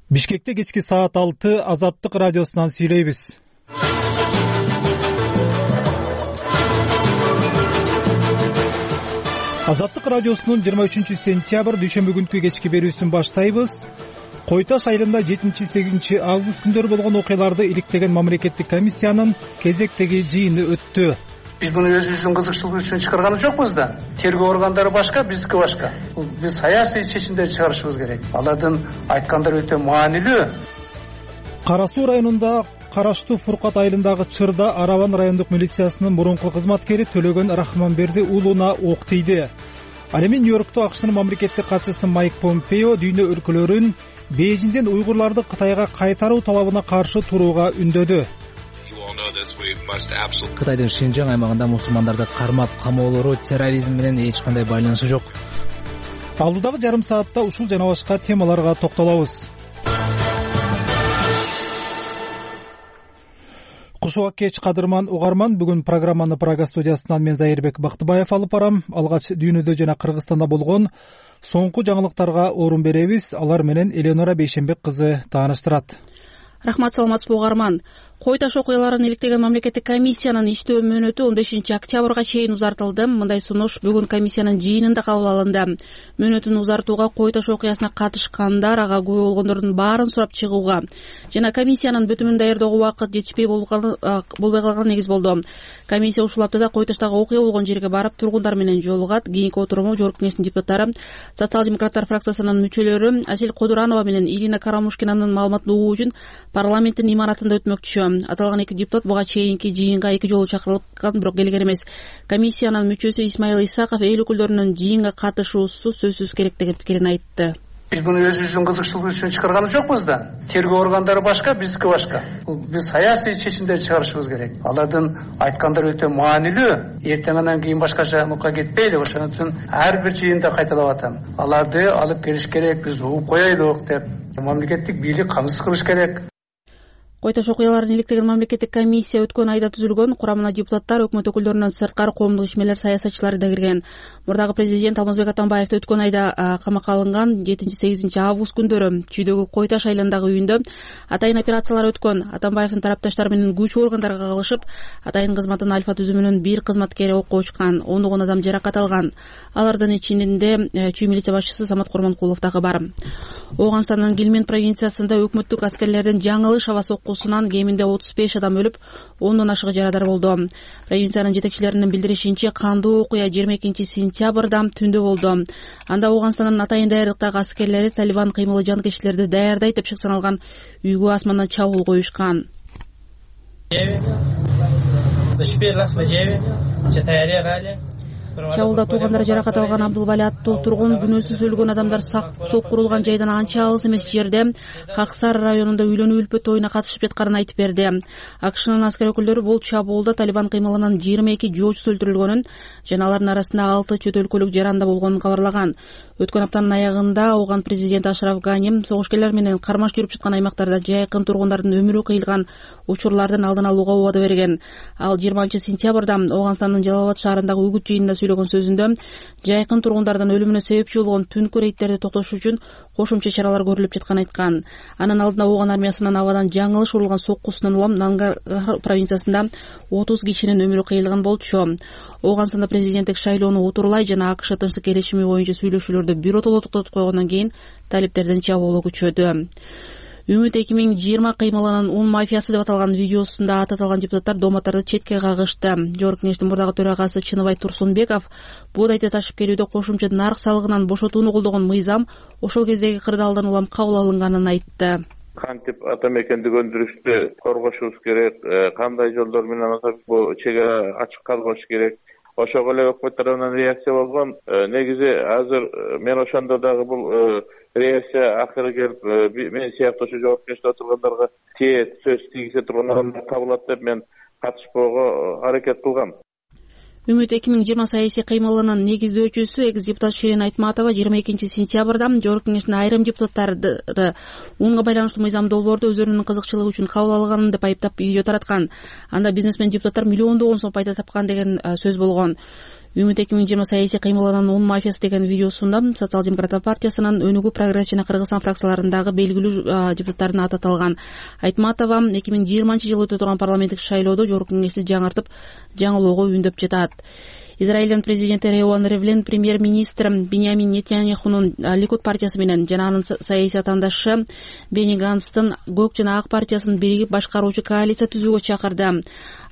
Бишкекте кечки саат 6 Азаттык радиосунан сүйлөйбүз. Азаттык радиосунун 23-сентябрь дүйшөмбү күнкү кечки берүүсүн баштайбыз. Кой Таш айылында 7-8 август күндөрү болгон окуяларды иликтеген мамлекеттик комиссиянын кезектеги жыйыны өттү. Биз муну өзүбүздүн кызыкчылык үчүн чыгарганы жокпуз да. Тергөө органдары башка, биздики башка. Биз саясий чечимдер чыгарышыбыз керек. Алардын айткандары өтө маанилүү. Кара Суу районунда караштуу Фуркат айылындагы Чырда Арабан райондук милициясынын мурунку кызматкери Төлөгөн Рахманберди уулуна ок тийди. Ал эми Нью-Йоркто АКШнын мамлекеттик катчысы Майк Помпео дүйнө өлкөлөрүн Бейжиңден уйгурларды Кытайга кайтаруу талабына каршы турууга үндөдү. Кытайдын Шинжаң аймагында мусулмандарды кармап камоолору терроризм менен эч кандай байланышы жок. Алдыдагы жарым саатта ушул жана башка темаларга токтолобуз. Кушуак кеч кадырман угарман, бүгүн программаны Прага студиясынан мен Зайырбек Бактыбаев алып барам. Алгач дүйнөдө жана Кыргызстанда болгон соңку жаңылыктарга орун беребиз. Алар менен Эленора Бейшенбек кызы тааныштырат. Рахмат, саламатсызбы угарман. Кой Таш окуяларын иликтеген мамлекеттик комиссиянын иштөө мөөнөтү 15 октябрга чейин узартылды. Мындай сунуш бүгүн комиссиянын жыйынында кабыл алынды. Мөөнөтүн узартууга Кой Таш окуясына катышкандар, ага күбө болгондордун баарын сурап чыгууга жана комиссиянын бүтүмүн даярдоого убакыт жетишпей болбой калган негиз болду. Комиссия ушул аптада Кой Таштагы окуя болгон жерге барып, тургундар менен жолугат. Кийинки отуруму Жогорку Кеңештин депутаттары, социал-демократтар фракциясынын мүчөлөрү Асель Кодуранова менен Ирина Карамушкинанын маалыматын угуу үчүн парламенттин имаратында өтмөкчү. Аталган эки депутат буга чейинки жыйынга эки жолу чакырылган, бирок келген эмес. Комиссиянын мүчөсү Исмаил Исаков эл өкүлдөрүнүн жыйынга катышуусу сөзсүз керек деген пикирин айтты. Биз муну өзүбүздүн кызыкчылык үчүн чыгарганы жокпуз да. Тергөө органдары башка, биздики башка. Биз саясий чечимдер чыгарышыбыз керек. Алардын айткандары өтө маанилүү. Эртеңден кийин башкача нукка кетпейли. Ошон үчүн ар бир жыйында кайталап атам. Аларды алып келиш керек, биз угуп коелук деп. Мамлекеттик бийлик камсыз кылыш керек. Кой Таш окуяларын иликтеген мамлекеттик комиссия өткөн айда түзүлгөн. Курамына депутаттар, өкмөт өкүлдөрүнөн сырткары коомдук ишмерлер, саясатчылары да кирген. Мурдагы президент Алмазбек Атамбаев өткөн айда камакка алынган 7-8 август күндөрү Чүйдөгү Кой Таш айылындагы үйүндө атайын операциялар өткөн. Атамбаевдин тарапташтары менен күч органдарга кагылышып, атайын кызматтын Альфа түзүмүнүн бир кызматкери окко учкан, 10 адам жаракат алган. Алардын ичинде Чүй милиция башчысы Самат Курманкулов дагы бар. Ооганстандын Гилмен провинциясында өкмөттүк аскерлердин жаңылыш аба соккусунан кеминде 35 адам өлүп, 10дон ашыгы жарадар болду. Провинциянын жетекчилеринин билдиришинче, кандуу окуя 22 сентябрда түндө болду. Анда Ооганстандын атайын даярдыктагы аскерлери Талибан кыймылы жанкечтилерди даярдайт деп шек саналган үйгө асмандан чабуул коюшкан. Чабуулда туугандары жаракат алган Абдулбали аттуу тургун күнөөсүз өлгөн адамдар соккурулган жайдан анча алыс эмес жерде Хаксар районунда үйлөнүү үлпөт тоюна катышып жатканын айтып берди. АКШнын аскер өкүлдөрү бул чабуулда Талибан кыймылынан 22 жоочусу өлтүрүлгөнүн жана алардын арасында 6 чет өлкөлүк жаранда болгонун кабарлаган. Өткөн аптанын аягында Ооган президенти Ашраф Гани согушкерлер менен кармаш жүрүп жаткан аймактарда жайкын тургундардын өмүрү кыйылган учурлардын алдын алууга убада берген. Ал 20 сентябрда Ооганстандын Жалалабад шаарындагы үгүт жыйынында сөйлөгөн сөзүндө жайкын тургундардын өлүмүнө себепчи болгон түнкү рейдтерди токтотуш үчүн кошумча чаралар көрүлүп жатканын айткан. Анын алдында Ооган армиясынын абадан жаңылыш урулган соккусунан улам Нангар провинциясында 30 кишинин өмүрү кыйылган болчу. Ооганстанда президенттик шайлоону утурлай жана АКШ тынчтык келишими боюнча сүйлөшүүлөрдү биротоло токтотуп койгондон кийин талиптердин чабуулу күчөдү. Үмүт 2020 кыймылынын ун мафиясы деп аталган видеосунда аты аталган депутаттар дооматтарды четке кагышты. Жогорку Кеңештин мурдагы төрагасы Чыныбай Турсунбеков буудайды ташып келүүдө кошумча нарк салыгынан бошотууну колдогон мыйзам ошол кездеги кырдаалдан улам кабыл алынганын айтты. Кантип ата мекенди өндүрүштү коргошубуз керек, кандай жолдор менен бул чек ара ачык калбаш керек. Ошого эле өкмөт тарабынан реакция болгон. Негизи азыр мен ошондо дагы бул реакция акыры келип, мен сыяктуу жогорку кеңеште отургандарга сөз тийгизе турган адамдар табылат деп мен катышпоого аракет кылгам. Үмүт 2020 саясий кыймылынын негиздөөчүсү экс депутат Ширин Айтматова 22 сентябрда Жогорку Кеңештин айрым депутаттары унга байланыштуу мыйзам долбоорду өздөрүнүн кызыкчылыгы үчүн кабыл алганын деп айыптап видео тараткан. Анда бизнесмен депутаттар миллиондогон сом пайда тапкан деген сөз болгон. Үмүт 2020 саясий кыймылынын ун мафиясы деген видеосунда Социал демократтар партиясынын Өнүгүү, Прогресс жана Кыргызстан фракцияларындагы белгилүү депутаттардын аты аталган. Айтматова 2020 жылы өтө турган парламенттик шайлоодо Жогорку Кеңешти жаңыртып, жаңылоого үндөп жатат. Израилдин президенти Ревон Ривлин премьер-министр Биньямин Нетаньяхунун Ликуд партиясы менен жана анын саясий атаандашы Бени Ганстын Көк жана Ак партиясын биригип башкаруучу коалиция түзүүгө чакырды.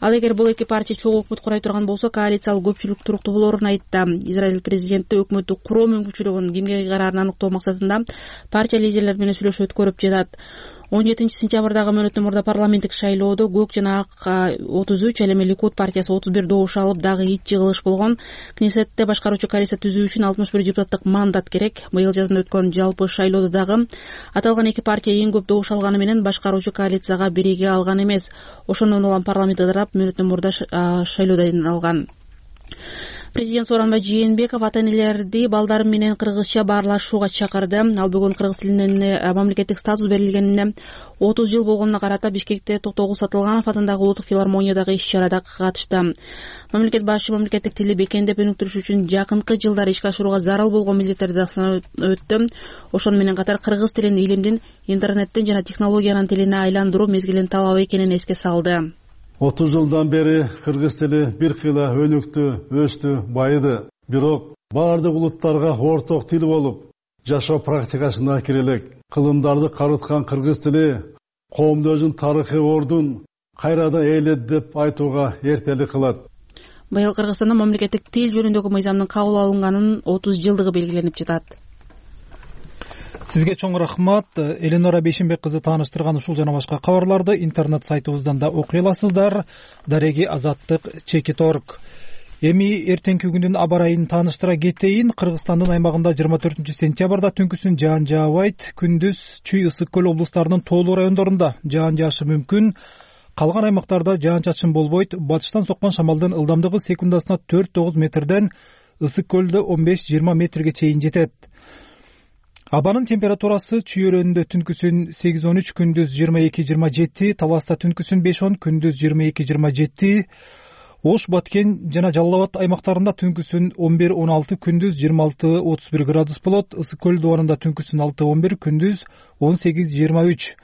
Ал эгер бул эки партия чогуу өкмөт курай турган болсо, коалициялык көпчүлүк туруктуу болоорун айтты. Израиль президенти өкмөттү куруу мүмкүнчүлүгүн кимге кыйгарарын аныктоо максатында партия лидерлери менен сүйлөшүү өткөрүп жатат. 17 сентябрдагы мөөнөттөн мурда парламенттик шайлоодо Көк жана Ак 33, ал эми Ликуд партиясы 31 добуш алып, дагы 2 жыгылыш болгон. Кнессетте башкаруучу коалиция түзүү үчүн 61 депутаттык мандат керек. Быйыл жазында өткөн жалпы шайлоодо дагы аталган эки партия эң көп добуш алганы менен башкаруучу коалицияга бириге алган эмес. Ошондон улам парламентте тарап мөөнөттөн мурда шайлоодон алган. Президент Сооронбай Жээнбеков ата-энелерди балдары менен кыргызча баарлашууга чакырды. Ал бүгүн кыргыз тилине мамлекеттик статус берилгенине 30 жыл болгонуна карата Бишкекте Токтогул Сатылганов атындагы улуттук филармониядагы иш-чарада катышты. Мамлекет башы мамлекеттик тилди бекемдеп өнүктүрүш үчүн жакынкы жылдары ишке ашырууга зарыл болгон милдеттерди да санап өттү. Ошону менен катар кыргыз тилин илимдин, интернеттин жана технологиянын тилине айландыруу мезгилинин талабы экенин эске салды. 30 жылдан бери кыргыз тили бир кыйла өнүктү, өстү, байыды. Бирок баардык улуттарга орток тил болуп, жашоо практикасына кире элек. Кылымдарды карыткан кыргыз тили коомдоздун тарыхый ордун кайрадан ээледи деп айтууга эртелик кылат. Быйыл Кыргызстанда мамлекеттик тил жөнүндөгү мыйзамдын кабыл алынганын 30 жылдыгы белгиленип жатат. Сизге чоң рахмат. Эленора Бейшенбек кызы тааныштырган ушул жана башка кабарларды интернет сайтыбыздан да окуй аласыздар. Дареги Азаттык Чекит.org. Эми эртеңки күндүн аба ырайын тааныштыра кетейин. Кыргызстандын аймагында 24 сентябрда түнкүсүн жаан жаабайт. Күндүз Чүй, Ысык көл облустарынын тоолуу райондорунда жаан жаашы мүмкүн. Калган аймактарда жаан-чачын болбойт. Батыштан соккон шамалдын ылдамдыгы секундасына 4-9 метрден, Ысык көлдө 15-20 метрге чейин жетет. Абанын температурасы Чүй өрөөнүндө түнкүсүн 8-13, күндүз 22-27, Таласта түнкүсүн 5-10, күндүз 22-27, Ош, Баткен жана Жалал Абад аймактарында түнкүсүн 11-16, күндүз 26-31 градус болот. Ысык көл дубарында түнкүсүн 6-11, күндүз 18-23.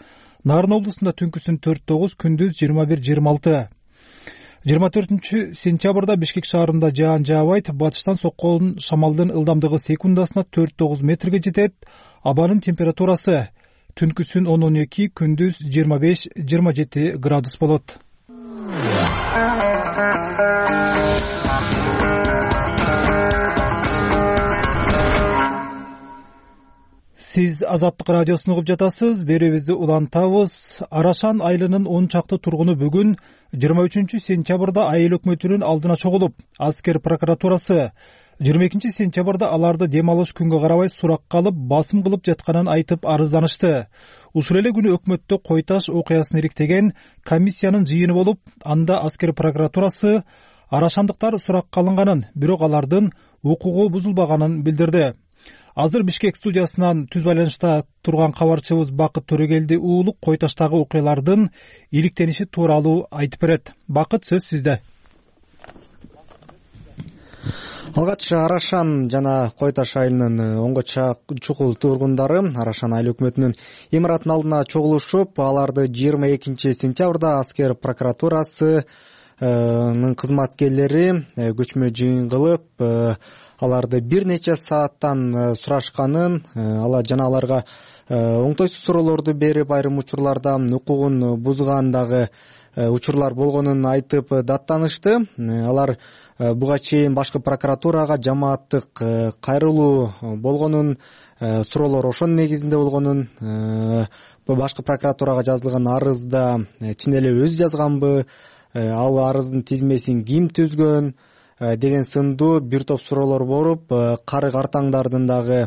Нарын облусунда түнкүсүн 4-9, күндүз 21-26. 24 сентябрда Бишкек шаарында жаан жаабайт. Батыштан соккон шамалдын ылдамдыгы секундасына 4-9 метрге жетет. Абанын температурасы түнкүсүн 10-12, күндүз 25-27 градус болот. Сиз Азаттык радиосун угуп жатасыз. Берүүбүздү улантабыз. Арашан айылынын 10 чакты тургуну бүгүн 23 сентябрда айыл өкмөтүнүн алдына чогулуп, аскер прокуратурасы 22 сентябрда аларды дем алыш күнгө карабай суракка алып, басым кылып жатканын айтып арызданышты. Ушул эле күнү өкмөттө Кой Таш окуясын ириктеген комиссиянын жыйыны болуп, анда аскер прокуратурасы арашандыктар суракка алынганын, бирок алардын укугу бузулбаганын билдирди. Азыр Бишкек студиясынан түз байланышта турган кабарчыбыз Бакыт Төрөгелди уулу Кой Таштагы окуялардын иликтениши тууралуу айтып берет. Бакыт, сөз сизде. Алгач Арашан жана Кой Таш айылынын 10 чукул тургундары Арашан айыл өкмөтүнүн имаратынын алдына чогулушуп, аларды 22 сентябрда аскер прокуратурасы кызматкерлери көчмө жыйын кылып, аларды бир нече сааттан сурашканын, жана аларга оңтойсуз суроолорду берип, айрым учурларда укугун бузгандагы учурлар болгонун айтып даттанышты. Алар буга чейин башкы прокуратурага жамааттык кайрылуу болгонун, суроолор ошонун негизинде болгонун, башкы прокуратурага жазылган арызда чын эле өзү жазганбы, ал арыздын тизмесин ким түзгөн деген сындуу бир топ суроолор болуп, карык артаңдардын дагы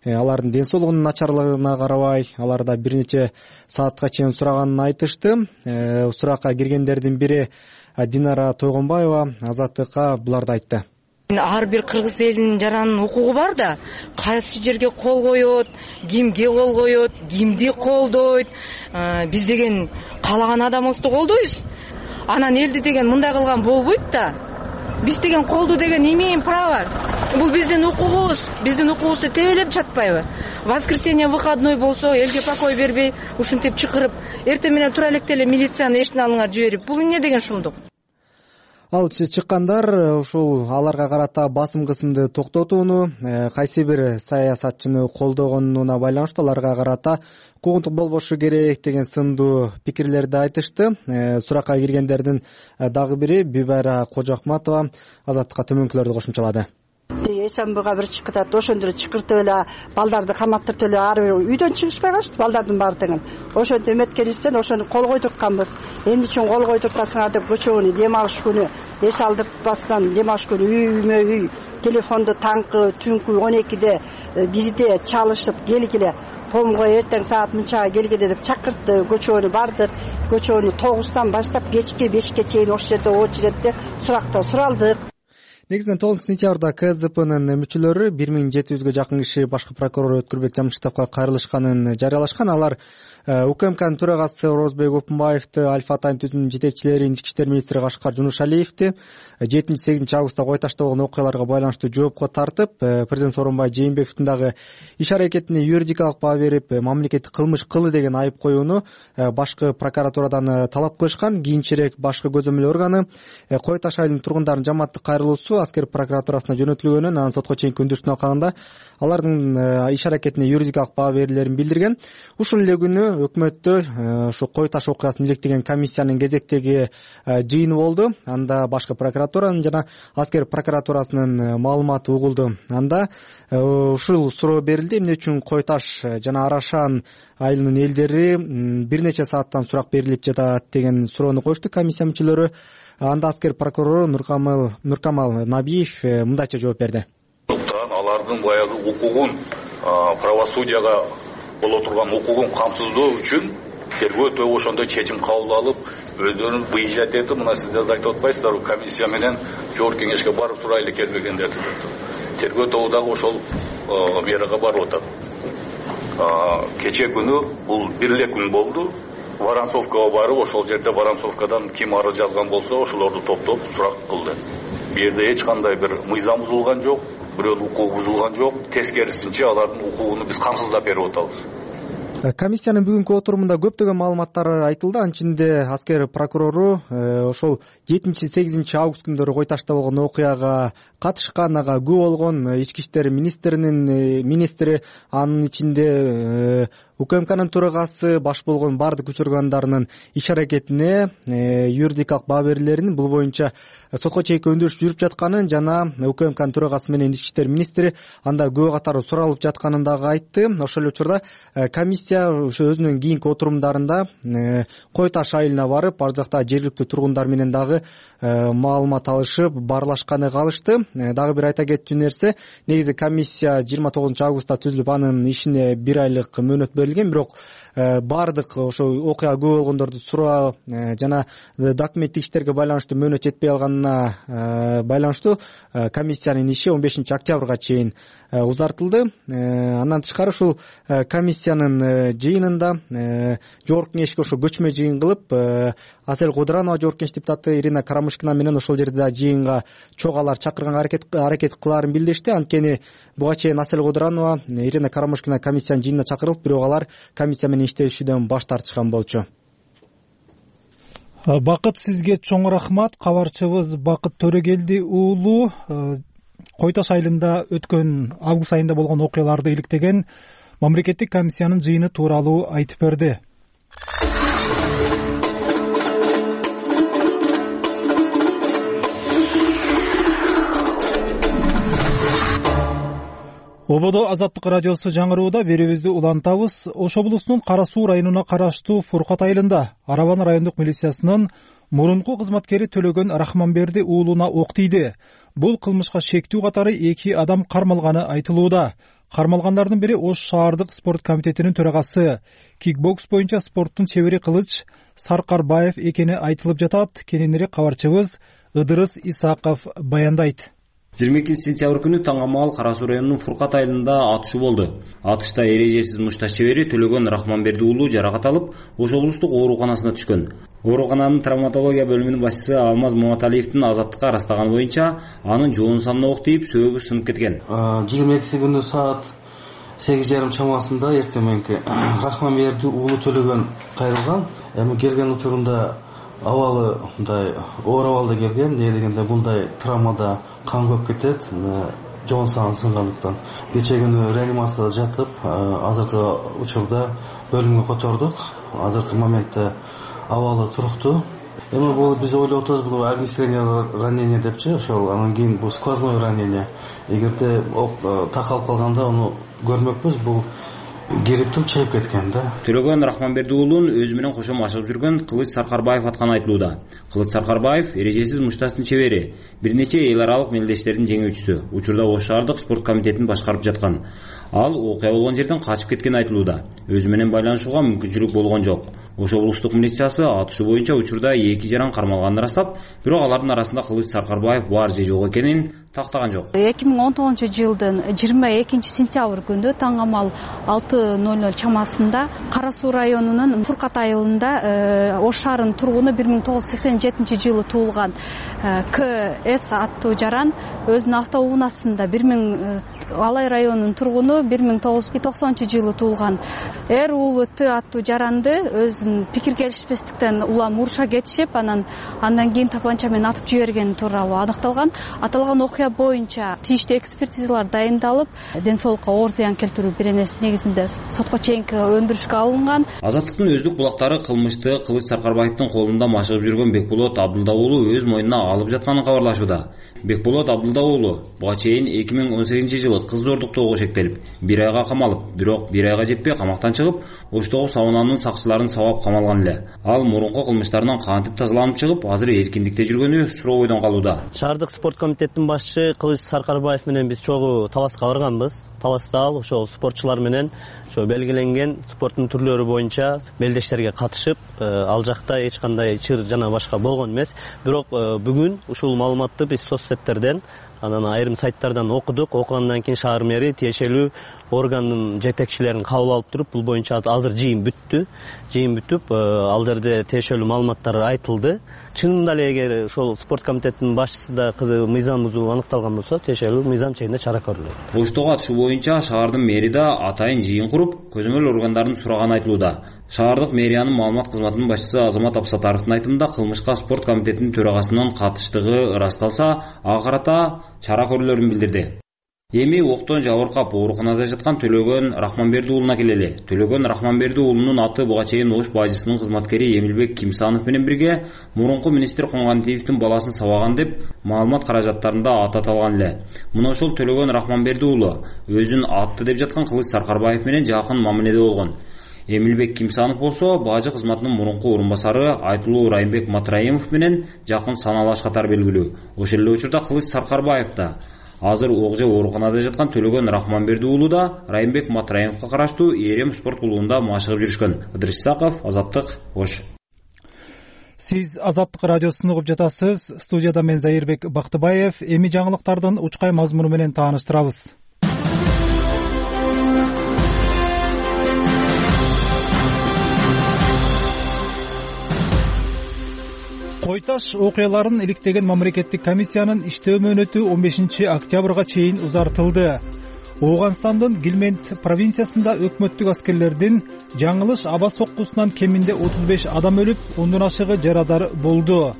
алардын ден соолугунун начарлыгына карабай, аларда бир нече саатка чейин сураганын айтышты. Суракка киргендердин бири Динара Тойгонбаева Азаттыкка буларды айтты. Ар бир кыргыз элинин жаранын укугу бар да, кайсы жерге кол коет, кимге кол коет, кимди колдойт. Биз деген каалаган адамыбызды колдойбуз. Анан элди деген мындай кылган болбойт да. Биз деген колду деген имеем право. Бул биздин укугубуз. Биздин укугубузду тебелеп жатпайбы? Воскресенье выходной болсо, элге покой бербей, ушинтип чакырып, эртең менен тура электе эле милицияны эшиктин алдыңа жиберип, бул эмне деген шумдук? Ал чыккандар ушул аларга карата басым кысымды токтотууну, кайсы бир саясатчыны колдогонуна байланыштуу аларга карата укугунтук болбошу керек деген сындуу пикирлерди айтышты. Суракка киргендердин дагы бири Бибайра Кожоахматова Азаттыкка төмөнкүлөрдү кошумчалады. Эсенбыга бир чыгып атат, ошондо чыкыртып эле балдарды каматтырып эле ары бир үйдөн чыгышпай калышты балдардын баары деген. Ошентип эметкенибизден ошону кол койдуртканбыз. Эмне үчүн кол койдуртасыңар деп көчөгүнү дем алыш күнү, эс алдыртпастан дем алыш күнү үймө үй телефонду таңкы түнкү 12-де 1-де чалышып келгиле. Помго эртең саат мынчага келгиле деп чакыртты. Көчөгүнү бардык. Көчөгүнү 9-тан баштап кечки 5-ке чейин ошол жерде очередде сурактоо суралдык. Негизинен 9 сентябрда КСДПнын мүчөлөрү 1700гө жакын киши башкы прокурор Өткүрбек Жамшитовго кайрылышканын жарыялашкан. Алар УКМКнын төрагасы Орозбек Опунбаевди, Аль-Фатайн түзүмүнүн жетекчилери Ички иштер министри Кашкар Жунушалиевди 7-8 августта Кой ташта болгон окуяларга байланыштуу жоопко тартып, президент Сооронбай Жээнбековдун дагы иш-аракетине юридикалык баа берип, мамлекеттик кылмыш кылды деген айып коюуну башкы прокуратурадан талап кылышкан. Кийинчерээк башкы көзөмөл органы Кой таш айылынын тургундарынын жамааттык кайрылуусу аскер прокуратурасына жөнөтүлгөнүн, анан сотко чейинки өндүрүштүн алкагында алардын иш-аракетине юридикалык баа берилерин билдирген. Ушул эле күнү өкмөттө ушу Кой таш окуясын иликтеген комиссиянын кезектеги жыйыны болду. Анда башкы прокуратуранын жана аскер прокуратурасынын маалыматы угулду. Анда ушул суроо берилди: эмне үчүн Кой таш жана Арашан айылынын элдери бир нече сааттан сурак берилип жатат деген суроону коюшту комиссия мүчөлөрү. Анда аскер прокурору Нуркамал Набиев мындайча жооп берди. Алардын баягы укугун, правосудияга боло турган укугун камсыздоо үчүн тергөө ошондой чечим кабыл алып, өздөрүн выезжать этип, мына сиздер да айтып атпайсыздарбы, комиссия менен жогорку кеңешке барып сурайлы келбегендерди. Тергөө тобу дагы ошол мерага барып атат. Кече күнү бул бир эле күн болду. Воронцовкага барып, ошол жерде Воронцовкадан ким арыз жазган болсо, ошолорду топтоп сурак кылды. Бу жерде эч кандай бир мыйзам бузулган жок, бирөөнүн укугу бузулган жок. Тескерисинче алардын укугуну биз камсыздап берип атабыз. Комиссиянын бүгүнкү отурумунда көптөгөн маалыматтар айтылды. Анын içinde аскер прокурору ошол 7-8 август күндөрү Кой ташта болгон окуяга катышкан, ага күбө болгон ички иштер министринин министри, анын ичинде УКМКнын төрагасы, баш болгон бардык күч органдарынын иш-аракетине юридикалык баа берилерин, бул боюнча сотко чейинки өндүрүш жүрүп жатканын жана УКМКнын төрагасы менен ички иштер министри анда күбө катары суралып жатканын дагы айтты. Ошол учурда комиссия ошо өзүнүн кийинки отурумдарында Кой таш айылына барып, ар жакта жергиликтүү тургундар менен дагы маалымат алышып, баарлашканы калышты. Дагы бир айта кетчү нерсе, негизи комиссия 29 августта түзүлүп, анын ишине 1 айлык мөөнөт берилген, бирок бардык ошо окуя күбө болгондорду суроо жана документтик иштерге байланыштуу мөөнөт жетпей калганына байланыштуу комиссиянын иши 15 октябрга чейин узартылды. Андан тышкары ушул комиссиянын жыйынында жогорку кеңешке ошо көчмө жыйын кылып, Асел Кудранова жогорку кеңеш депутаты Ирина Карамушкина менен ошол жерде жыйынга чогалар чакырганга аракет кылаарын билдиришти. Анткени буга чейин Асел Кудранова, Ирина Карамушкина комиссиянын жыйынына чакырылып, бирок алар комиссия менен иштешүүдөн баш тартышкан болчу. Бакыт, сизге чоң рахмат. Кабарчыбыз Бакыт Төрөгелди уулу Кой таш айылында өткөн август айында болгон окуяларды иликтеген мамлекеттик комиссиянын жыйыны тууралуу айтып берди. Ободо Азаттык радиосу жаңырууда берүүбүздү улантабыз. Ош облусунун Кара Суу районуна караштуу Фуркат айылында Арабан райондук милициясынын мурунку кызматкери Төлөгөн Рахманберди уулуна ок тийди. Бул кылмышка шектүү катары 2 адам кармалганы айтылууда. Кармалгандардын бири Ош шаардык спорт комитетинин төрагасы, кикбокс боюнча спорттун чебери Кылыч Саркарбаев экени айтылып жатат. Кененирээк кабарчыбыз Ыдырыс Исаков баяндайт. 22 күнү Таңамал Кара Суу районунун Фуркат айылында атышуу болду. Атышта эрежесиз мушташ чебери Төлөгөн Рахманберди уулу жаракат алып, Ош облустук ооруканасына түшкөн. Оорукананын травматология бөлүмүнүн башчысы Алмаз Маматалиевдин азаттыкка ырастаганы боюнча, анын жоон санына ок тийип, сөөгү сынып кеткен. 22 күнү саат 8:30 чамасында эртең мененки Рахманберди уулу Төлөгөн кайрылган. Эми келген учурунда абалы мындай оор абалда келген. Эмне дегенде мындай травмада кан көп кетет, жоон саны сынгандыктан. Кече күнү реанимацияда жатып, азыркы учурда бөлүмгө котордук. Азыркы моментте абалы туруктуу. Эми бул биз ойлоп атабыз, бул огнестрельное ранение депчи, ошол анан кийин бул сквозное ранение. Эгерде ок такалып калганда аны көрмөкпүз, бул кирип туруп чайып кеткен да. Төлөгөн Рахманберди уулун өзү менен кошо машыгып жүргөн Кылыч Саркарбаев атканы айтылууда. Кылыч Саркарбаев эрежесиз мушташтын чебери, бир нече эл аралык мелдештердин жеңүүчүсү. Учурда Ош шаардык спорт комитетин башкарып жаткан. Ал окуя болгон жерден качып кеткени айтылууда. Өзү менен байланышууга мүмкүнчүлүк болгон жок. Ош облустук милициясы атышуу боюнча учурда 2 жаран кармалганын ырастап, бирок алардын арасында Кылыч Саркарбаев бар же жок экенин тактаган жок. 2019-жылдын 22 күндө таңамал 6:00 чамасында Кара Суу районунун Фуркат айылында Ош шаарынын тургуну 1987-жылы туулган КС аттуу жаран өзүнүн автоунаасында Алай районунун тургуну 1990-жылы туулган уулу Т аттуу жаранды өзүнүн пикир келишпестиктен улам уруша кетишип, андан кийин тапанча менен атып жибергени тууралуу аныкталган. Аталган окуя боюнча тийиштүү экспертизалар дайындалып, ден соолукка оор зыян келтирүү беренеси негизинде сотко чейинки өндүрүшкө алынган. Азаттыктын өздүк булактары кылмышты Кылыч Саркарбаевдин колунда машыгып жүргөн Бекболот Абдылда уулу өз мойнуна алып жатканын кабарлашууда. Бекболот Абдылда уулу буга чейин 2018-жылы кыз зордуктоого шектелип, 1 айга камалып, бирок 1 айга жетпей камактан чыгып, Оштогу саунанын сакчыларын сабап камалган эле. Ал мурунку кылмыштарынан кантип тазаланып чыгып, азыр эркиндикте жүргөнү суроо бойдон калууда. Шаардык спорт комитетинин башчысы Кылыч Саркарбаев менен биз чогуу таласка барганбыз. Таласта ал ошол спортчулар менен белгиленген спорттун түрлөрү боюнча мелдештерге катышып, ал жакта эч кандай чыр жана башка болгон эмес. Бирок бүгүн ушул маалыматты биз соцсеттерден, анан айрым сайттардан окудук. Окугандан кийин шаар мэри тиешелүү органдын жетекчилерин кабыл алып туруп, бул боюнча азыр жыйын бүттү. Жыйын бүтүп, ал жерде тиешелүү маалыматтар айтылды. Чынында эле эгер ошол спорт комитетинин башчысында мыйзам бузуу аныкталган болсо, тиешелүү мыйзам чегинде чара көрүлөт. Оштогу атышуу боюнча шаардын мэри да атайын жыйын куруп, көзөмөл органдарын сураганы айтылууда. Шаардык мэриянын маалымат кызматынын башчысы Азамат Абсатаровдун айтымында кылмышка спорт комитетинин төрагасынын катыштыгы ырасталса, ага карата чара көрүлөрүн билдирди. Эми октон жабыркап ооруканада жаткан Төлөгөн Рахманберди уулуна келели. Төлөгөн Рахманберди уулунун аты буга чейин Ош бажысынын кызматкери Эмилбек Кимсанов менен бирге мурунку министр Коңгантиевдин баласын сабаган деп маалымат каражаттарында аты аталган эле. Мына ошол Төлөгөн Рахманберди уулу өзүн атты деп жаткан Кылыч Саркарбаев менен жакын мамиледе болгон. Эмилбек Кимсанов болсо бажы кызматынын мурунку орун басары Айтылуу Райымбек Матраимов менен жакын саналаш катар белгилүү. Ошол эле учурда Кылыч Саркарбаев да азыр Огже ооруканада жаткан Төлөгөн Рахманберди уулу да Райымбек Матраимовго караштуу Эрем спорт клубунда машыгып жүрүшкөн. Ыдырыс Исаков, Азаттык, Ош. Сиз Азаттык радиосун угуп жатасыз. Студияда мен Зайырбек Бактыбаев. Эми жаңылыктардын учкай мазмуну менен тааныштырабыз. Кой таш окуяларын иликтеген мамлекеттик комиссиянын иштөө мөөнөтү 15 октябрга чейин узартылды. Ооганстандын Гилмент провинциясында өкмөттүк аскерлердин жаңылыш аба соккусунан кеминде 35 адам өлүп, 10дон ашыгы жарадар болду.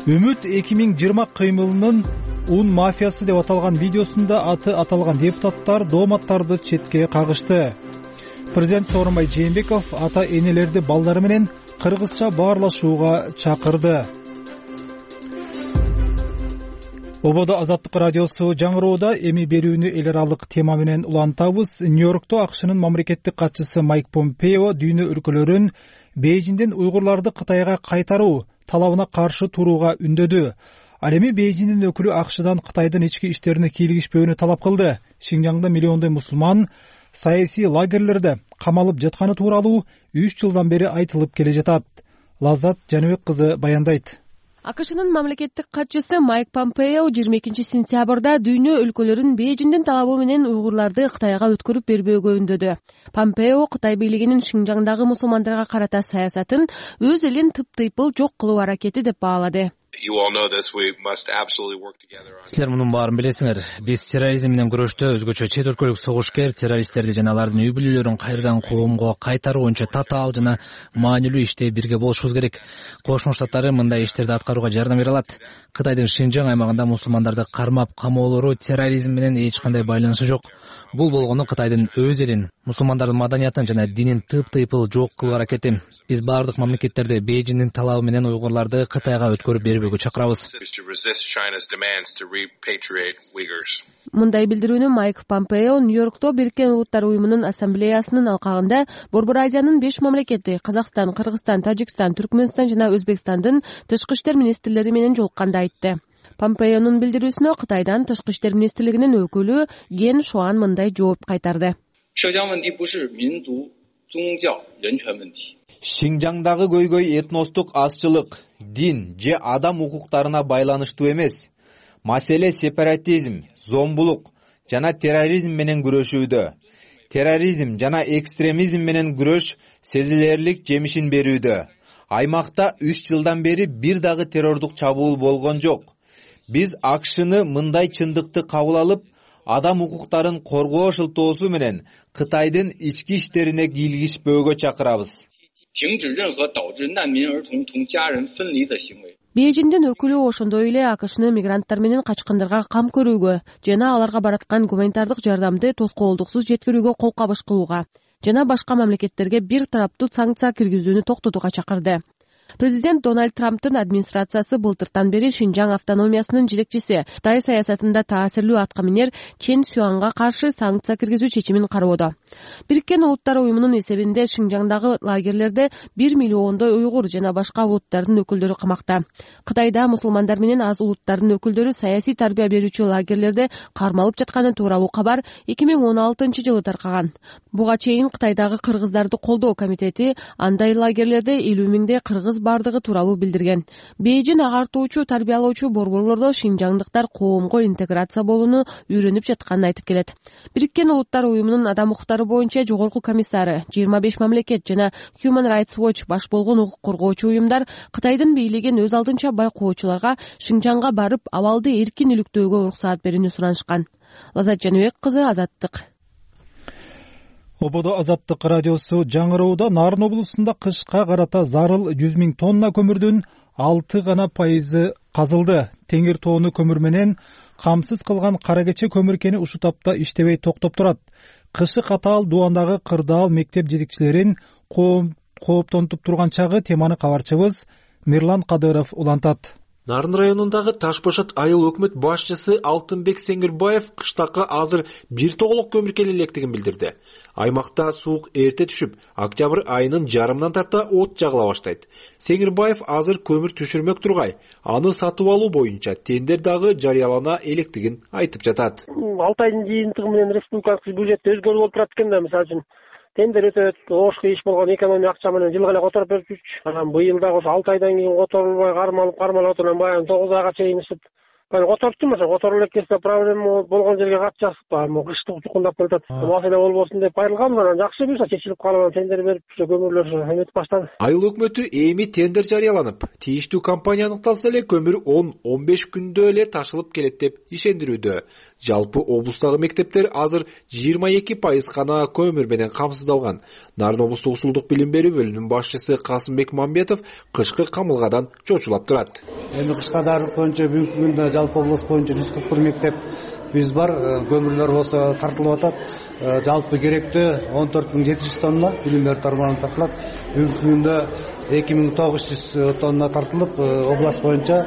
Үмүт 2020 кыймылынын ун мафиясы деп аталган видеосунда аты аталган депутаттар дооматтарды четке кагышты. Президент Сооронбай Жээнбеков ата энелерди балдары менен кыргызча баарлашууга чакырды. Ободо Азаттык радиосу жаңыроодо эми берүүнү эл аралык тема менен улантабыз. Нью-Йоркто АКШнын мамлекеттик катчысы Майк Помпео дүйнө өлкөлөрүн Бейжиңден уйгурларды Кытайга кайтаруу талабына каршы турууга үндөдү. Ал эми Бейжиңдин өкүлү АКШдан Кытайдын ички иштерине кийлигишпөөнү талап кылды. Шинжаңда миллиондой мусулман саясий лагерлерде камалып жатканы тууралуу 3 жылдан бери айтылып келе жатат. Лаззат Жаныбек кызы баяндайт. АКШнын мамлекеттик катчысы Майк Помпео 22-сентябрда дүйнө өлкөлөрүн Бейжиңдин талабы менен уйгурларды Кытайга өткөрүп бербөөгө үндөдү. Помпео Кытай бийлигинин Шинжаңдагы мусулмандарга карата саясатын өз элин тыптыйпыл жок кылуу аракети деп баалады. Силер мунун баарын билесиңер. Биз терроризм менен күрөштө өзгөчө чет өлкөлүк согушкер террористтерди жана алардын үй бүлөлөрүн кайрадан коомго кайтаруу боюнча татаал жана маанилүү иште бирге болушубуз керек. Кошмо Штаттары мындай иштерди аткарууга жардам бере алат. Кытайдын Шинжаң аймагында мусулмандарды кармап камоолору терроризм менен эч кандай байланышы жок. Бул болгону Кытайдын өз элин, мусулмандардын маданиятын жана динин тыптыйпыл жок кылуу аракети. Биз бардык мамлекеттерди Бейжиңдин талабы менен уйгурларды Кытайга өткөрүп бербөөгө чакырабыз. Мындай билдирүүнү Майк Помпео Нью-Йоркто Бириккен Улуттар уюмунун ассамблеясынын алкагында Борбор Азиянын 5 мамлекети Казакстан, Кыргызстан, Тажикстан, Түркмөнстан жана Өзбекстандын тышкы иштер министрлери менен жолукканда айтты. Помпеонун билдирүүсүнө Кытайдан тышкы иштер министрлигинин өкүлү Ген Шуан мындай жооп кайтарды. Шинжаңдагы көйгөй этностук азчылык, дин же адам укуктарына байланыштуу эмес. Маселе сепаратизм, зомбулук жана терроризм менен күрөшүүдө. Терроризм жана экстремизм менен күрөш сезилерлик жемишин берүүдө. Аймакта 3 жылдан бери бир дагы террордук чабуул болгон жок. Биз АКШны мындай чындыкты кабыл алып, адам укуктарын коргоо шылтоосу менен Кытайдын ички иштерине кийлигишпөөгө чакырабыз. Бейжиңдин өкүлү ошондой эле АКШны мигранттар менен качкындарга кам көрүүгө жана аларга бараткан гуманитардык жардамды тоскоолдуксуз жеткирүүгө кол кабыш кылууга жана башка мамлекеттерге бир тараптуу санкция киргизүүнү токтотууга чакырды. Президент Дональд Трамптын администрациясы былтыртан бери Шинжаң автономиясынын жетекчиси Кытай саясатында таасирлүү аткаминер Чен Сюанга каршы санкция киргизүү чечимин кароодо. Бириккен Улуттар уюмунун эсебинде Шинжаңдагы лагерлерде 1 миллиондой уйгур жана башка улуттардын өкүлдөрү камакта. Кытайда мусулмандар менен аз улуттардын өкүлдөрү саясий тарбия берүүчү лагерлерде кармалып жатканы тууралуу кабар 2016-жылы таркаган. Буга чейин Кытайдагы кыргыздарды колдоо комитети андай лагерлерде 50 миңдей кыргыз бардыгы тууралуу билдирген. Бейжиң агартуучу, тарбиялоочу борборлордо шинжаңдыктар коомго интеграция болууну үйрөнүп жатканын айтып келет. Бириккен Улуттар уюмунун адам укуктары боюнча жогорку комиссары, 25 мамлекет жана Human Rights Watch баш болгон укук коргоочу уюмдар Кытайдын бийлигин өз алдынча байкоочуларга Шинжаңга барып, абалды эркин иликтөөгө уруксаат берүүнү суранышкан. Лазат Жаныбек кызы, Азаттык. Ободо Азаттык радиосу жаңыроодо Нарын облусунда кышка карата зарыл 100 000 тонна көмүрдүн 6 гана пайызы казылды. Теңир тоону көмүр менен камсыз кылган кара кече көмүркени ушул тапта иштебей токтоп турат. Кышы катаал дубандагы кырдаал мектеп жетекчилерин кооптонтуп турган чагы теманы кабарчыбыз Мирлан Кадыров улантат. Нарын районундагы Ташбашат айыл өкмөт башчысы Алтынбек Сеңирбаев кыштакы азыр бир тоголок көмүркел электигин билдирди. Аймакта суук эрте түшүп, октябрь айынын жарымынан тарта от жагыла баштайт. Сеңирбаев азыр көмүр түшүрмөк тургай, аны сатып алуу боюнча тендер дагы жарыялана электигин айтып жатат. 6 айдын жыйынтыгы менен республикалык бюджетте өзгөрүү болуп турат экен да, мисалы үчүн тендер өтөт, ошко иш болгон экономия акча менен жылга эле которуп берип жүрчү. Анан быйыл дагы ошо 6 айдан кийин которулбай кармалып отурган баягы 9 айга чейин ишип которуптум, ошо которуп элек келсе проблема болгон жерге катышасыз. Кыштык чукундап кетет. Маселе болбосун деп айрылганбыз, анан жакшы буюрса чечилип калып тендер берип көмүрлөр эметип баштады. Айыл өкмөтү эми тендер жарыяланып, тийиштүү компания аныкталса эле көмүр 10-15 күндө эле ташылып келет деп ишендирүүдө. Жалпы облустагы мектептер азыр 22% гана көмүр менен камсыздалган. Нарын облустук усулдук билим берүү бөлүмүнүн башчысы Касымбек Мамбетов кышкы камылгадан чочулап турат. Эми кышка даярлык боюнча бүгүнкү күндө жалпы област боюнча 141 мектеп биз бар, көмүрлөр болсо тартылып атат. Жалпы керектүү 14.700 тонна билимдер тармагынан тартылат. Бүгүнкү күндө 2900 тонна тартылып, област боюнча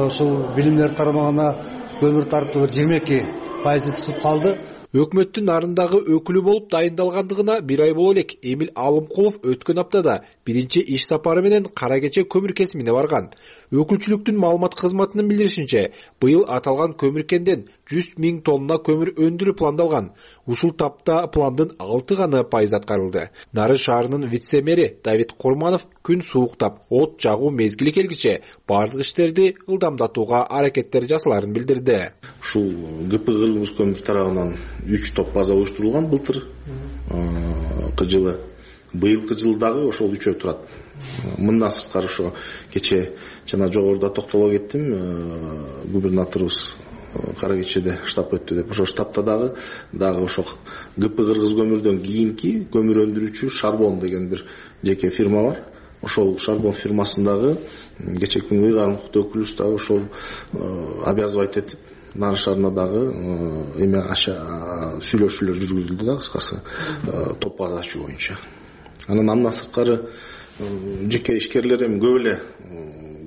ушул билимдер тармагына көмүр тартуу 22% түшүп калды. Өкмөттүн Нарындагы өкүлү болуп дайындалгандыгына 1 ай боло элек Эмил Алымкулов өткөн аптада биринчи иш сапары менен кара кече көмүр кесимине барган. Өкүлчүлүктүн маалымат кызматынын билдиришинче, быйыл аталган көмүркенден 100 000 тонна көмүр өндүрүү пландалган. Ушул тапта пландын 6% аткарылды. Нарын шаарынын вице-мэри Давид Курманов күн сууктап, от жагуу мезгили келгиче бардык иштерди ылдамдатууга аракеттер жасаларын билдирди. Ушул ГП кыргыз көмүр тарабынан 3 топ база уюштурулган былтыр жылы. Быйылкы жылдагы ошол 3 турат. Мындан сырткары ошо кече жана жогоруда токтоло кеттим. Губернаторубуз кара кечеде штаб өттү деп. Ошо штабта дагы ошо ГП кыргыз көмүрдөн кийинки көмүр өндүрүүчү Шарбон деген бир жеке фирма бар. Ошол Шарбон фирмасындагы кече күнгө ыйгарым укуктуу өкүлүбүз дагы ошол обязывать этип Нарын шаарына дагы эме сүйлөшүүлөр жүргүзүлдү да, кыскасы топ база ачуу боюнча. Андан сырткары жеке ишкерлер эми көп эле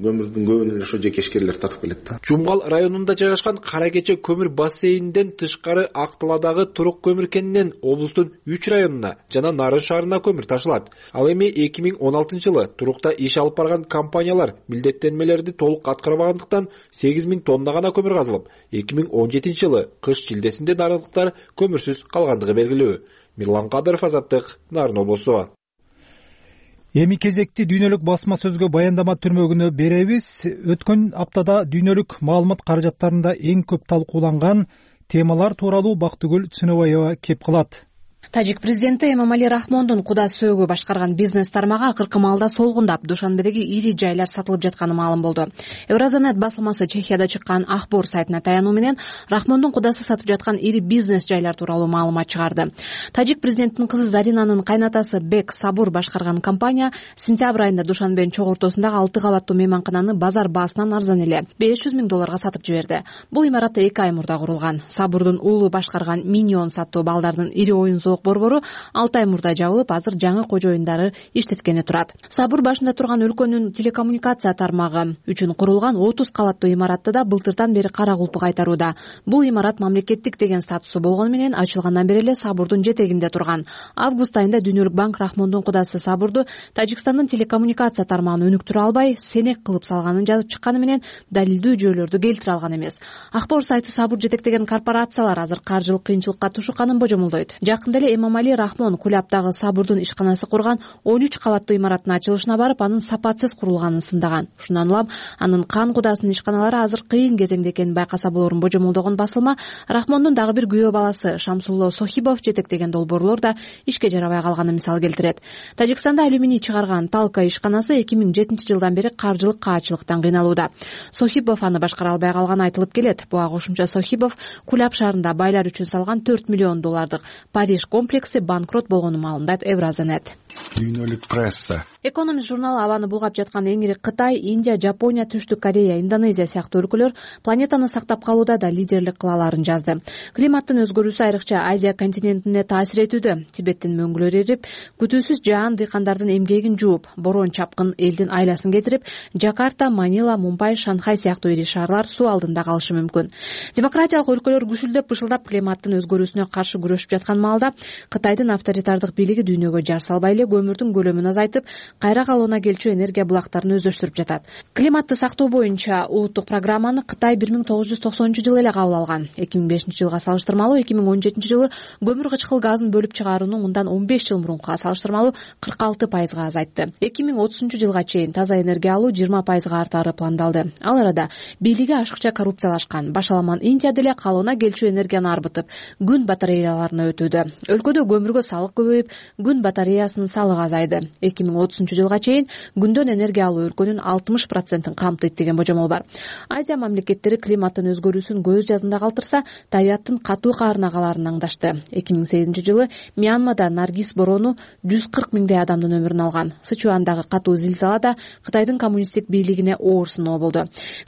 көмүрдүн көбүн эле ошо жеке ишкерлер тартып келет да. Жумгал районунда жайгашкан Кара Кече көмүр бассейнинден тышкары Акталадагы Турук көмүр кенинен облустун 3 районуна жана Нарын шаарына көмүр ташылат. Ал эми 2016-жылы Турукта иш алып барган компаниялар милдеттенмелерди толук аткарбагандыктан 8 000 тонна гана көмүр казылып, 2017-жылы кыш шилдесинде нарындыктар көмүрсүз калгандыгы белгилүү. Мирлан Кадыров, Азаттык, Нарын облусу. Эми кезекти дүйнөлүк басма сөзгө баяндама түрмөгүнө беребиз. Өткөн аптада дүйнөлүк маалымат каражаттарында эң көп талкууланган темалар тууралуу Бактыгүл Чыныбаева кеп кылат. Тажик президенти Эмомали Рахмондун куда сөөгү башкарган бизнес тармагы акыркы маалда солгундап, Душанбедеги ири жайлар сатылып жатканы маалым болду. Евразанет басылмасы Чехияда чыккан Ахбор сайтына таянуу менен Рахмондун кудасы сатып жаткан ири бизнес жайлар тууралуу маалымат чыгарды. Тажик президенттин кызы Заринанын кайнатасы Бек Сабур башкарган компания сентябрь айында Душанбенин чогуу ортосундагы 6 кабаттуу мейманкананы базар баасынан арзан эле $500 000 сатып жиберди. Бул имарат 2 ай мурда курулган. Сабурдун уулу башкарган Миньон саттуу балдардын ири оюн борбору 6 ай мурда жабылып, азыр жаңы кожоюндары иштеткени турат. Сабур башында турган өлкөнүн телекоммуникация тармагы үчүн курулган 30 кабаттуу имаратты да былтырдан бери кара кулпу кайтарууда. Бул имарат мамлекеттик деген статусу болгону менен ачылгандан бери эле Сабурдун жетегинде турган. Август айында Дүйнөлүк банк Рахмондун кудасы Сабурду Тажикстандын телекоммуникация тармагын өнүктүрө албай, сенек кылып салганын жазып чыкканы менен далилдүү жүйөлөрдү келтире алган эмес. Ахбор сайты Сабур жетектеген корпорациялар азыр каржылык кыйынчылыкка тушукканын божомолдойт. Жакында эле Эмомали Рахмон Кулаптагы Сабурдун ишканасы курган 13 кабаттуу имараттын ачылышына барып, анын сапатсыз курулганын сындаган. Ушундан улам анын кан кудасынын ишканалары азыр кыйын кезеңде экенин байкаса болорун божомолдогон басылма Рахмондун дагы бир күйөө баласы Шамсулло Сохибов жетектеген долбоорлор да ишке жарабай калганын мисал келтирет. Тажикстанда алюминий чыгарган Талка ишканасы 2007-жылдан бери каржылык каачылыктан кыйналууда. Сохибов аны башкара албай калганы айтылып келет. Буга кошумча Сохибов Кулап шаарында байлар үчүн салган $4 миллион Париж комплекси банкрот болгонун маалымдайт Евразанет. Дүйнөлүк пресса. Экономист журналы абаны булгап жаткан эң ири Кытай, Индия, Жапония, Түштүк Корея, Индонезия сыяктуу өлкөлөр планетаны сактап калууда да лидерлик кыла аларын жазды. Климаттын өзгөрүүсү айрыкча Азия континентине таасир этүүдө. Тибеттин мөңгүлөрү эрип, күтүүсүз жаан дыйкандардын эмгегин жууп, борон чапкын элдин айласын кетирип, Жакарта, Манила, Мумбай, Шанхай сыяктуу ири шаарлар суу алдында калышы мүмкүн. Демократиялык өлкөлөр күшүлдөп бышылдап климаттын өзгөрүүсүнө каршы күрөшүп жаткан маалда Кытайдын авторитардык бийлиги дүйнөгө жар салбай эле көмүрдүн көлөмүн азайтып, кайра калууна келчү энергия булактарын өздөштүрүп жатат. Климатты сактоо боюнча улуттук программаны Кытай 1990-жылы эле кабыл алган. 2005-жылга салыштырмалуу 2017-жылы көмүр кычкыл газын бөлүп чыгарууну мындан 15 жыл мурункуга салыштырмалуу 46% азайтты. 2030-жылга чейин таза энергия алуу 20% артары пландалды. Ал арада бийлиги ашыкча коррупциялашкан. Башаламан Индия деле калууна келчү энергияны арбытып, күн батареяларына өтүүдө. Өлкөдө көмүргө салык көбөйүп, күн батареясынын салыгы азайды. 2030-жылга чейин күндөн энергия алуу өлкөнүн 60%-ын камтыйт деген божомол бар. Азия мамлекеттери климаттын өзгөрүүсүн көз жазында калтырса, табияттын катуу каарына каларын аңдашты. 2008-жылы Мьянмада Наргиз борону 140 миңдей адамдын өмүрүн алган. Сычуандагы катуу зилзала да Кытайдын коммунисттик бийлигине оор сыноо болду.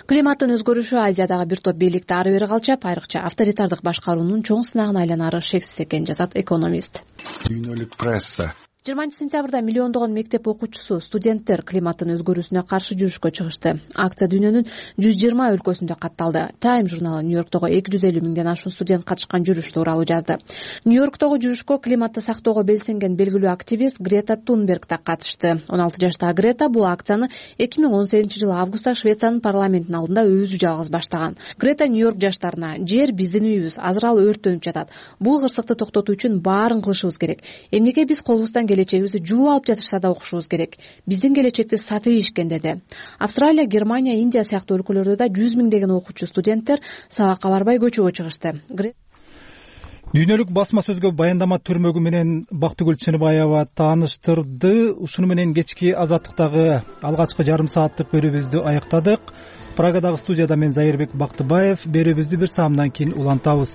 Климаттын өзгөрүшү Азиядагы бир топ бийликти ары бери калчап, айрыкча авторитардык башкаруунун чоң сынагына айланары шексиз экенин жазат экономист. Дүйнөлүк пресса. 20-сентябрда миллиондогон мектеп окуучусу студенттер климаттын өзгөрүүсүнө каршы жүрүшкө чыгышты. Акция дүйнөнүн 120 өлкөсүндө катталды. Time журналы Нью-Йорктогу 250 миңден ашуун студент катышкан жүрүш тууралуу жазды. Нью-Йорктогу жүрүшкө климатты сактоого белсенген белгилүү активист Грета Тунберг да катышты. 16 жаштагы Грета бул акцияны 2018-жылы августта Швециянын парламентинин алдында өзү жалгыз баштаган. Грета Нью-Йорк жаштарына: жер биздин үйүбүз, азыр ал өрттөнүп жатат. Бул кырсыкты токтотуу үчүн баарын кылышыбыз керек. Эмнеге биз колубуздан келечегибизди жууп алып жатышса да окушубуз керек. Биздин келечекти сатып ийишкен деди. Австралия, Германия, Индия сыяктуу өлкөлөрдө да 100 миңдеген окуучу студенттер сабакка барбай көчөгө чыгышты. Дүйнөлүк басма сөзгө баяндама түрмөгү менен Бактыгүл Чыныбаева тааныштырды. Ушуну менен кечки Азаттыктагы алгачкы жарым сааттык берүүбүздү аяктадык. Прагадагы студияда мен Зайырбек Бактыбаев. Берүүбүздү бир саамдан кийин улантабыз.